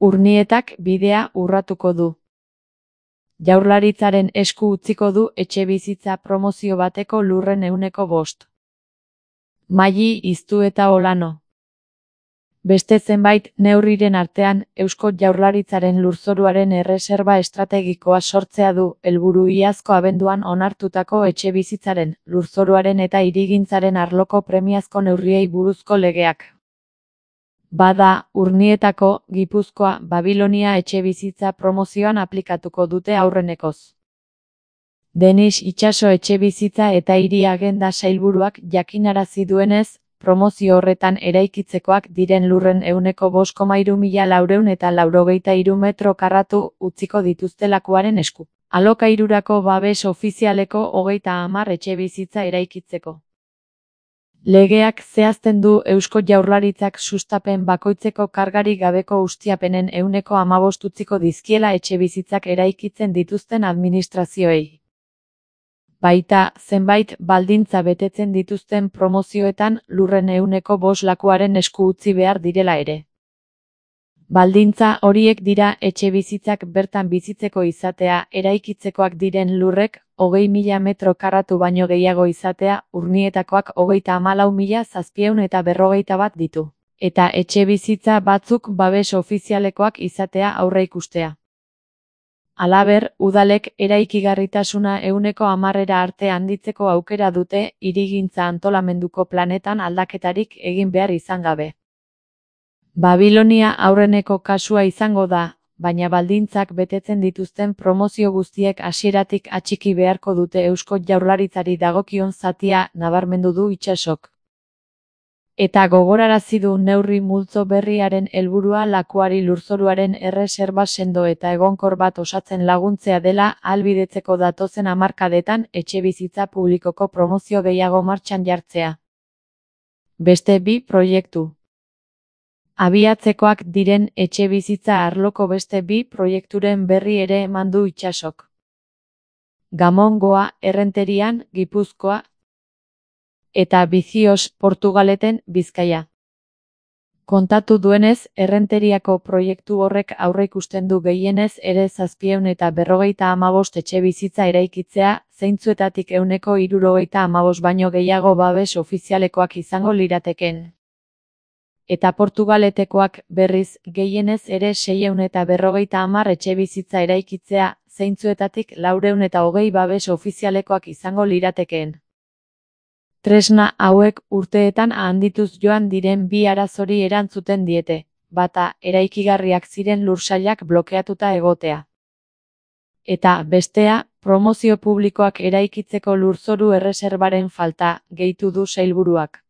Urnietak bidea urratuko du. Jaurlaritzaren esku utziko du etxebizitza promozio bateko lurren 5%. Maili Iztueta Olano. Beste zenbait neurriren artean, Eusko Jaurlaritzaren lurzoruaren erreserba estrategikoa sortzea du helburu iazko abenduan onartutako etxebizitzaren, lurzoruaren eta hirigintzaren arloko premiazko neurriei buruzko legeak. Bada, Urnietako, Gipuzkoa, Babilonia etxebizitza promozioan aplikatuko dute aurrenekoz. Denis Itxaso etxebizitza eta hiri agenda sailburuak jakinarazi duenez, promozio horretan eraikitzekoak diren lurren 5,3.483 metro karratu utziko dituzte lakuaren esku. Alokairurako babes ofizialeko 30 etxebizitza eraikitzeko. Legeak zehazten du Eusko Jaurlaritzak sustapen bakoitzeko kargarik gabeko ustiapenen 15% utziko dizkiela etxebizitzak eraikitzen dituzten administrazioei. Baita, zenbait baldintza betetzen dituzten promozioetan lurren 5% lakuaren esku utzi behar direla ere. Baldintza horiek dira etxebizitzak bertan bizitzeko izatea, eraikitzekoak diren lurrek 20.000 metro karratu baino gehiago izatea, Urnietakoak 34.751 ditu. Eta etxebizitza batzuk babes ofizialekoak izatea aurreikustea. Halaber, udalek eraikigarritasuna 10% arte handitzeko aukera dute hirigintza antolamenduko planetan aldaketarik egin behar izan gabe. Babilonia aurreneko kasua izango da, baina baldintzak betetzen dituzten promozio guztiek hasieratik atxiki beharko dute Eusko Jaurlaritzari dagokion zatia, nabarmendu du Itxasok. Eta gogorarazi du neurri multzo berriaren helburua lakuari lurzoruaren erreserba sendo eta egonkor bat osatzen laguntzea dela ahalbidetzeko datozen hamarkadetan etxebizitza publikoko promozio gehiago martxan jartzea. Beste 2 proiektu. Abiatzekoak diren etxebizitza arloko beste 2 proiekturen berri ere eman du Itxasok. Gamongoa, Errenterian, Gipuzkoa, eta Bizios, Portugaleten, Bizkaia. Kontatu duenez, Errenteriako proiektu horrek aurreikusten du gehienez ere 755 etxebizitza eraikitzea, zeintzuetatik 175 baino gehiago babes ofizialekoak izango lirateken. Eta Portugaletekoak, berriz, gehienez ere 650 etxebizitza eraikitzea, zeintzuetatik 420 babes ofizialekoak izango liratekeen. Tresna hauek urteetan handituz joan diren 2 arazori erantzuten diete, bata eraikigarriak ziren lursailak blokeatuta egotea. Eta, bestea, promozio publikoak eraikitzeko lurzoru erreserbaren falta, gehitu du sailburuak.